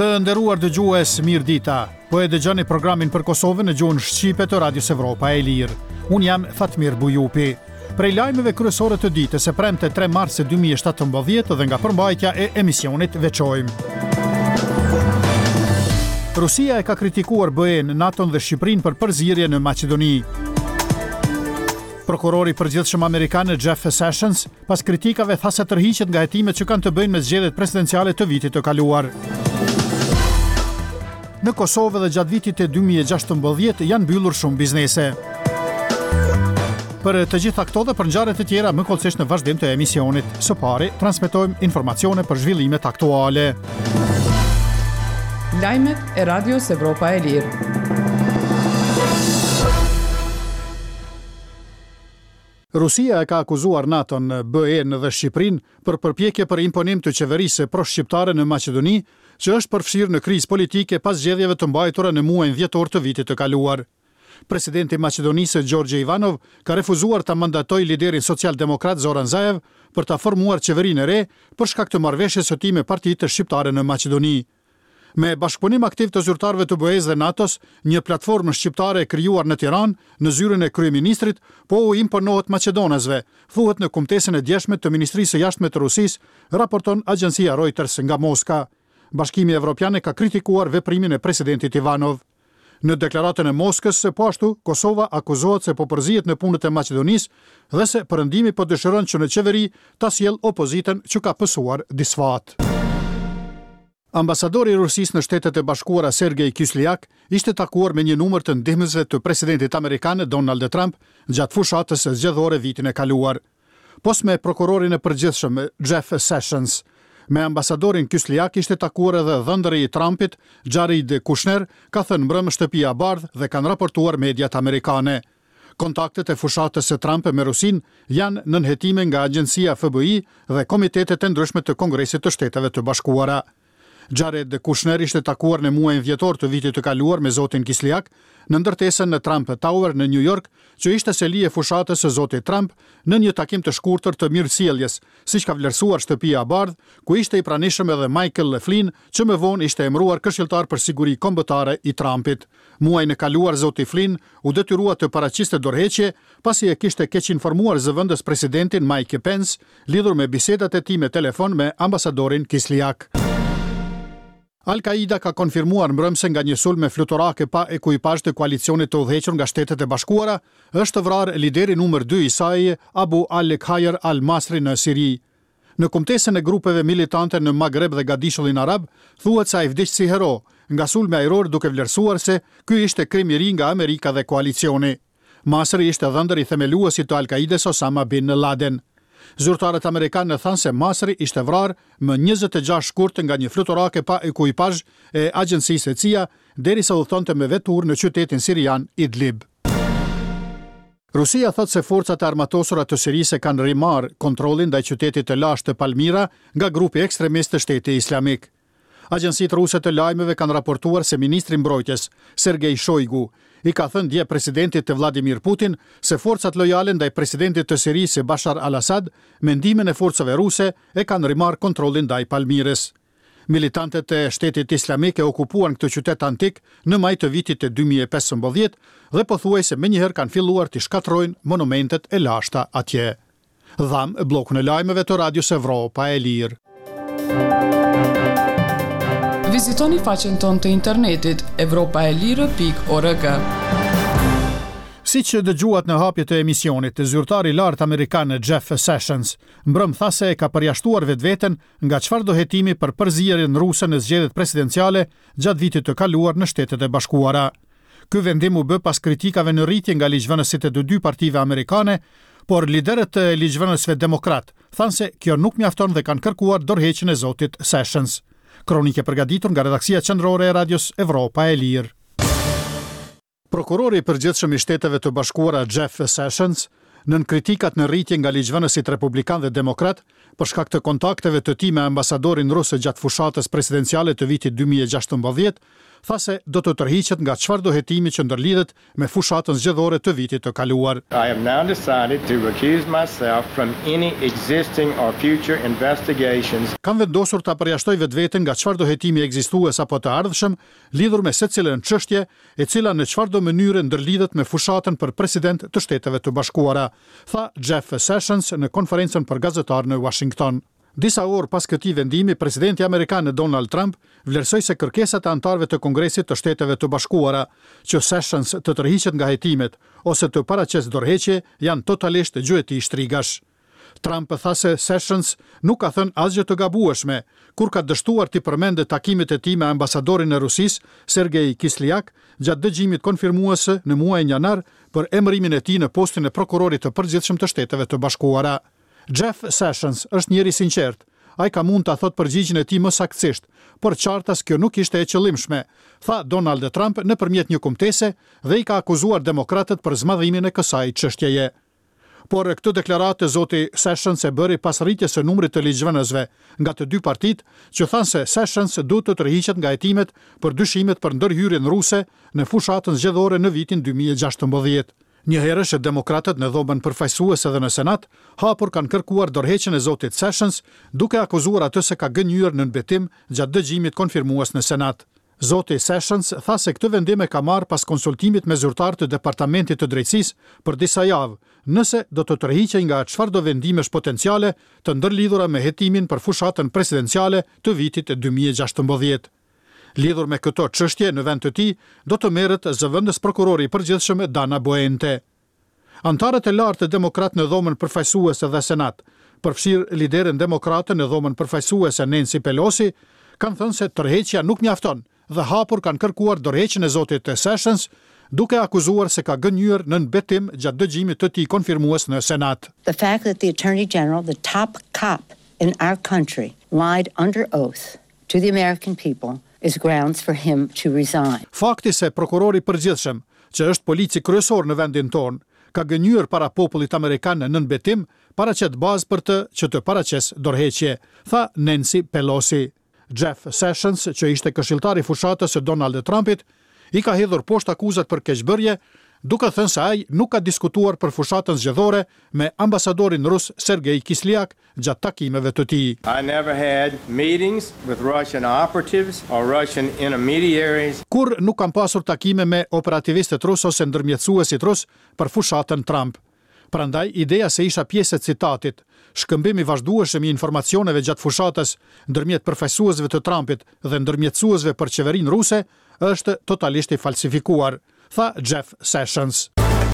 Të nderuar dëgjues, mirëdita. Po e dëgjoni programin për Kosovën në gjuhën shqipe të Radios Evropa e Lirë. Unë jam Fatmir Bujupi. Prej lajmeve kryesore të ditës së premte 3 mars 2017 dhe nga përmbajtja e emisionit veçojmë. Rusia e ka kritikuar BE-në, NATO-n dhe Shqipërinë për përzierje në Maqedoni. Prokurori i përgjithshëm amerikan Jeff Sessions pas kritikave tha se tërhiqet nga hetimet që kanë të bëjnë me zgjedhjet presidenciale të vitit të kaluar. Në Kosovë edhe gjatë vitit të 2016 janë mbyllur shumë biznese. Për të gjitha këto dhe për ngjarje të tjera më hollësisht në vazhdim të emisionit. Së pari, transmetojmë informacione për zhvillimet aktuale. Lajmet e Radios Evropa e Lirë. Rusia e ka akuzuar NATO-n, BE-në dhe Shqipërinë për përpjekje për imponim të qeverisë pro-shqiptare në Maqedoni, që është përfshirë në krizë politike pas zgjedhjeve të mbajtura në muajin dhjetor të vitit të kaluar. Presidenti i Maqedonisë, Gjorgje Ivanov, ka refuzuar ta mandatojë liderin socialdemokrat Zoran Zaev për ta formuar qeverinë e re për shkak të marrëveshjes së tij me partitë shqiptare në Maqedoni. Me bashkëpunim aktiv të zyrtarëve të BE-së dhe NATO-s, një platformë shqiptare e krijuar në Tiranë, në zyrën e kryeministrit, po u imponohet maqedonasve, thuhet në kumtesën e djeshme të Ministrisë së Jashtme të Rusisë, raporton agjencia Reuters nga Moska. Bashkimi Evropian e ka kritikuar veprimin e presidentit Ivanov. Në deklaratën e Moskës, po ashtu, Kosova akuzohet se po përzihet në punët e Maqedonisë dhe se Perëndimi po dëshiron që në qeveri ta sjellë opozitën që ka pësuar disfatë. Ambasadori i Rusisë në Shtetet e Bashkuara Sergei Kislyak ishte takuar me një numër të ndihmësve të presidentit amerikan Donald Trump gjatë fushatës zgjedhore vitin e kaluar. Pos me prokurorin e përgjithshëm, Jeff Sessions. Me ambasadorin Kislyak ishte takuar edhe dhëndri i Trumpit, Jared Kushner, ka thënë mbrëmë Shtëpia e Bardhë dhe kanë raportuar mediat amerikane. Kontaktet e fushatës së Trump me Rusinë janë nën hetime nga agjencia FBI dhe komitetet e ndryshme të Kongresit të Shteteve të Bashkuara. Jared Kushner ishte takuar në muajin dhjetor të vitit të kaluar me zotin Kislyak në ndërtesën në Trump Tower në New York, që ishte seli e fushatës së zotit Trump, në një takim të shkurtër të mirësjelljes, siç ka vlerësuar Shtëpia e Bardhë, ku ishte i pranishëm edhe Michael Flynn, që më vonë ishte emëruar këshilltar për siguri kombëtare i Trumpit. Muajin e kaluar zoti Flynn u detyrua të paraqiste dorëheqje, pasi e kishte keqinformuar zëvendës presidentin Mike Pence lidhur me bisedat e tij me telefon me ambasadorin Kislyak. Al-Kaida ka konfirmuar mbrëmë se nga një sulm me fluturake pa ekuipazh të koalicionit të udhëhequr nga Shtetet e Bashkuara, është vrarë lideri numër dy i saj, Abu al-Khair al-Masri në Siri. Në kumtesën e grupeve militante në Magreb dhe Gadishullin Arab, thuhet se ai vdiq si hero nga sulmi ajror duke vlerësuar se ky ishte krim i ri nga Amerika dhe koalicioni. Masri ishte dhëndër i themeluesit të Al-Kaides Osama bin Laden. Zyrtarët amerikanë thanë se Masri ishte vrarë më 26 shkurt nga një fluturake pa ekuipazh e agjencisë CIA derisa udhëtonte me veturë në qytetin sirian Idlib. Rusia thotë se forcat e armatosura të Sirisë e kanë rimarrë kontrollin ndaj qytetit të lashtë të Palmira nga grupi ekstremist Shteti Islamik. Agjencitë ruse të lajmeve kanë raportuar se ministri i Mbrojtjes, Sergei Shoigu, i ka thënë dje presidentit të Vladimir Putin se forcat lojale ndaj presidentit të Sirisë Bashar al-Assad me ndihmën e forcave ruse e kanë rimarrë kontrollin ndaj Palmirës. Militantët e Shtetit Islamik e okupuan këtë qytet antik në maj të vitit 2015 dhe pothuajse menjëherë kanë filluar t'i shkatërrojnë monumentet e lashta atje. Dhamë bllokun e lajmeve të Radios Evropa e Lirë. Vizitoni faqen tonë të internetit evropaelire.org. Siç dëgjuat në hapje të emisionit, zyrtari i lartë amerikan Jeff Sessions mbrëmë tha se e ka përjashtuar vetveten nga çfarëdo hetimi për përzierjen ruse në zgjedhjet presidenciale gjatë vitit të kaluar në Shtetet e Bashkuara. Ky vendim u bë pas kritikave në rritje nga ligjvënësit e të dy partive amerikane, por liderët e ligjvënësve demokratë thanë se kjo nuk mjafton dhe kanë kërkuar dorëheqjen e zotit Sessions. Kronikë e përgatitur nga redaksia qendrore e Radios Evropa e Lirë. Prokurori i Përgjithshëm i Shteteve të Bashkuara Jeff Sessions, nën kritikat në rritje nga ligjvënësit republikanë dhe demokratë për shkak të kontakteve të tij me ambasadorin rus gjatë fushatës presidenciale të vitit 2016, tha se do të tërhiqet nga çfarëdo hetimi që ndërlidhet me fushatën zgjedhore të vitit të kaluar. I have now decided to recuse myself from any existing or future investigations. Kam vendosur ta përjashtoj vetveten nga çfarëdo hetimi ekzistues apo të ardhshëm lidhur me secilën çështje e cila në çfarëdo mënyre ndërlidhet me fushatën për president të Shteteve të Bashkuara, tha Jeff Sessions në konferencën për gazetarë në Uashington. Disa orë pas këtij vendimi, presidenti amerikan Donald Trump vlerësoi se kërkesat e anëtarëve të Kongresit të Shteteve të Bashkuara që Sessions të tërhiqet nga hetimet ose të paraqesë dorëheqje janë totalisht gjueti shtrigash. Trump tha se Sessions nuk ka thënë asgjë të gabueshme kur ka dështuar t'i përmendë takimet e tij me ambasadorin e Rusisë, Sergei Kislyak, gjatë dëgjimit konfirmues në muajin janar për emërimin e tij në postin e prokurorit të përgjithshëm të Shteteve të Bashkuara. Jeff Sessions është njeri i sinqertë. Ai ka mund ta thotë përgjigjen e tij më saktësisht, por qartas kjo nuk ishte e qëllimshme, tha Donald Trump nëpërmjet një kumtese dhe i ka akuzuar demokratët për zmadhimin e kësaj çështjeje. Por këtë deklaratë zoti Sessions e bëri pas rritjes së numrit të ligjvënësve nga të dy partitë që thanë se Sessions duhet të tërhiqet nga hetimet për dyshimet për ndërhyrjen ruse në fushatën zgjedhore në vitin 2016. Njëherësh, demokratët në Dhomën Përfaqësuese dhe në Senat, hapur kanë kërkuar dorëheqjen e zotit Sessions, duke akuzuar atë se ka gënjyer nën betim gjatë dëgjimit konfirmues në Senat. Zoti Sessions tha se këtë vendim e ka marrë pas konsultimit me zyrtarë të Departamentit të Drejtësisë për disa javë, nëse do të tërhiqej nga çfarëdo vendimesh potenciale të ndërlidhura me hetimin për fushatën presidenciale të vitit 2016. Lidhur me këto çështje, në vend të tij, do të merret zëvendës prokurori i përgjithshëm Dana Boente. Anëtarët e lartë demokratë në Dhomën Përfaqësuese dhe Senat, përfshirë lideren demokrate në Dhomën Përfaqësuese Nancy Pelosi, kanë thënë se tërheqja nuk mjafton dhe hapur kanë kërkuar dorëheqjen e zotit Sessions, duke akuzuar se ka gënjyer nën betim gjatë dëgjimit të tij konfirmues në Senat. The fact that the Attorney General, the top cop in our country, lied under oath to the American people is grounds for him to resign. Fakti se prokurori i përgjithshëm, që është polici kryesor në vendin tonë, ka gënjyer para popullit amerikan nën betim, paraqet bazë për të që të paraqesë dorëheqje, tha Nancy Pelosi. Jeff Sessions, që ishte këshilltar i fushatës së Donald Trumpit, i ka hedhur poshtë akuzat për keqbërje, duke thënë se ai nuk ka diskutuar për fushatën zgjedhore me ambasadorin rus Sergei Kislyak gjatë takimeve të tij. I never had meetings with Russian operatives or Russian intermediaries. Kurrë nuk kam pasur takime me operativistët rusë ose ndërmjetësuesit rusë për fushatën Trump. Prandaj, ideja se isha pjesë e citatit, shkëmbim i vazhdueshëm i informacioneve gjatë fushatës ndërmjet përfaqësuesve të Trumpit dhe ndërmjetësuesve për qeverinë ruse, është totalisht i falsifikuar, tha Jeff Sessions.